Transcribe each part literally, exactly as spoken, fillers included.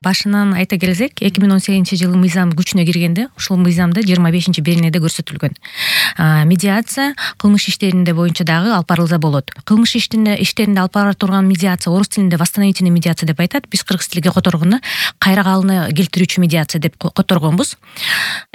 Башынан айта келсек, эки миң он сегизинчи жылы мыйзам күчүнө киргенде, ушул мыйзамда жыйырма бешинчи беренеде көрсөтүлгөн. Медиация кылмыш иштеринде боюнча дагы алып барылса болот. Кылмыш иштеринде иштеринде алып бара турган медиация орус тилинде восстановительный медиация деп айтат. Биз кыргыз тилиге которгону кайра калыны келтирүүчү медиация деп которгонбуз.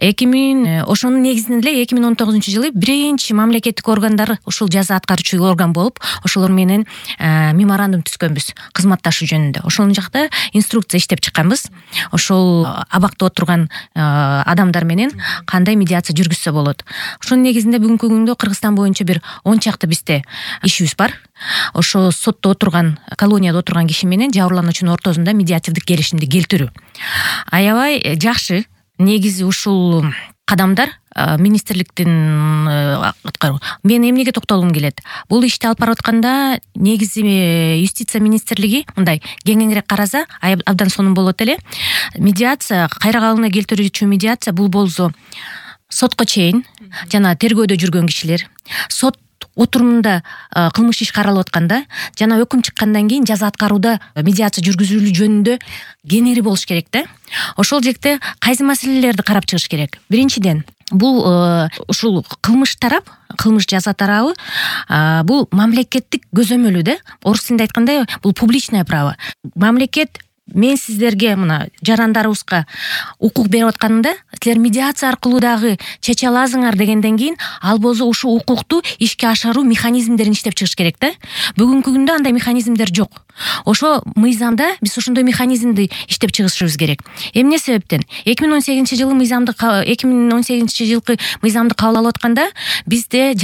эки миң ошонун негизинде эле эки миң он тогузунчу жылы биринчи мамлекеттик органдар ушул жаза аткаруучу орган болуп, ошолор менен меморандум түзгөнбүз кызматташуу жөнүндө. Ошол жакта инструкция иштеп чыкканбыз. Ошол абакта отурган адамдар менен кандай медиация жүргүзсө болот. Ошонун негизинде бүгүнкү күндө Кыргызстан боюнча бир он чакты бизде ишибиз бар. Ошо сотто отурган, колонияда отурган киши менен жабырлануучунун ортосунда медиативдик келишимди келтирүү. Аябай жакшы. Негизи ушул кадамдар министрликтин мен эмнеге токтолгум келет. Бул ишти алып барып атканда негизи юстиция министрлиги мындай кеңирээк караса абдан сонун болот эле. Медиация, кайра калыына келтирүүчү медиация бул болсо сотко чейин жана тергөөдө жүргөн кишилер, сот отурумунда кылмыш иш каралып атканда жана өкүм чыккандан кийин жаза аткарууда медиация жүргүзүлүү жөнүндө кеңири болуш керек да. Ошол жекте кайсы маселелерди карап чыгыш керек? Биринчиден, бул ушул кылмыш тарап, кылмыш жаза тарабы бул мамлекеттик көзөмөлү да. Орус тилинде айтканда бул публичное право. Мамлекет мен сиздерге мына жарандарыбызга укук берип атканында силер медиация аркылуу дагы чече аласыңар дегенден кийин ал болсо ушул укукту ишке ашыруу механизмдерин иштеп чыгыш керек да. Бүгүнкү күндө андай механизмдер жок. Ошо мыйзамда биз ошондой механизмди иштеп чыгышыбыз керек. Эмне себептен? эки миң он сегизинчи жылы мыйзамды эки миң он сегизинчи жылкы мыйзамды кабыл алып атканда бизде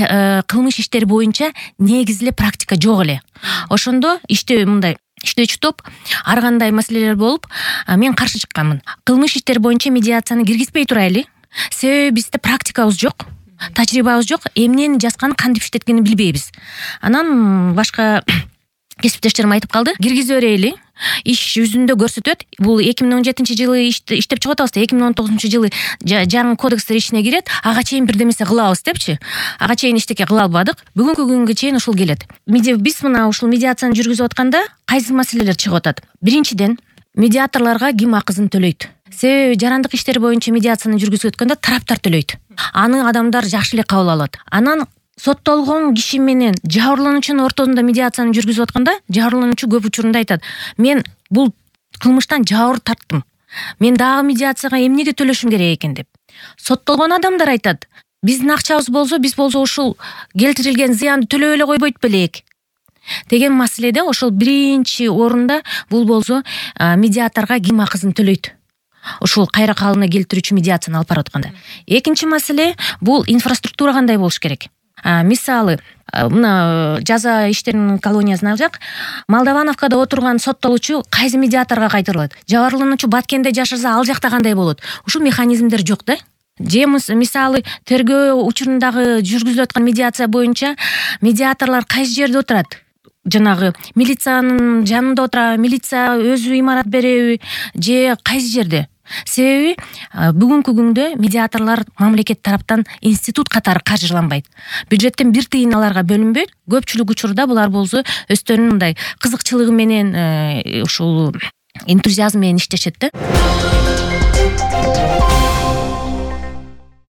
кылмыш иштери боюнча негизи эле практика жок эле. Ошондо иште мындай иштөөчү топ ар кандай маселелер болуп, мен каршы чыкканмын. Кылмыш иштери боюнча медиацияны киргизбей турайлы. Себеби бизде практикабыз жок, тажрыйбабыз жок, эмнени жазган, кантип иштеткенин билбейбиз. Анан башка кесиптештерим айтып калды, киргизе берели. Иш жүзүндө көрсөтөт. Бул эки миң он жетинчи жылы иштеп чыгып атабыз, эки миң он тогузунчу жылы жаңы кодекстер ичине кирет, ага чейин бирдемесе кылабыз депчи. Ага чейин эчтеке кыла албадык. Бүгүнкү күнгө чейин ушул келет. Биз мына ушул медиацияны жүргүзүп атканда кайсы маселелер чыгып атат? Биринчиден, медиаторлорго ким акысын төлөйт? Себеби жарандык иштер боюнча медиацияны жүргүзүп өткөндө тараптар төлөйт. Аны адамдар жакшы эле кабыл алат. Анан соттолгон киши менен жабырлануучунун ортосунда медиацияны жүргүзүп атканда жабырлануучу көп учурунда айтат: мен бул кылмыштан жабыр тарттым, мен дагы медиацияга эмнеге төлөшүм керек экен деп. Соттолгон адамдар айтат: биздин акчабыз болсо, биз болсо ушул келтирилген зыянды төлөп эле койбойт белек деген маселеде ошол биринчи орунда бул болсо медиаторго ким акысын төлөйт? Ушул кайра калыына келтирүүчү медиацияны алып барып атканда. Экинчи маселе бул инфраструктура кандай болуш керек? Мисалы, мына жаза иштеринин колониясына алсак, Молдовановкада отурган соттолуучу кайсы медиаторго кайтарылат? Жабырлануучу Баткенде жашаса, ал жакта кандай болот? Ушул механизмдер жок да. Же мисалы, тергөө учурундагы жүргүзүлүп аткан медиация боюнча медиаторлор кайсы жерде отурат? Жанагы милициянын жанында отура, милиция өзү имарат береби же кайсы жерде? Себеби бүгүнкү күндө медиаторлор мамлекет тараптан институт катары каржыланбайт. Бюджеттен бир тыйын аларга бөлүнбөйт. Көпчүлүк учурда булар болсо өздөрүнүн мындай кызыкчылыгы менен ушул энтузиазм менен иштешет да.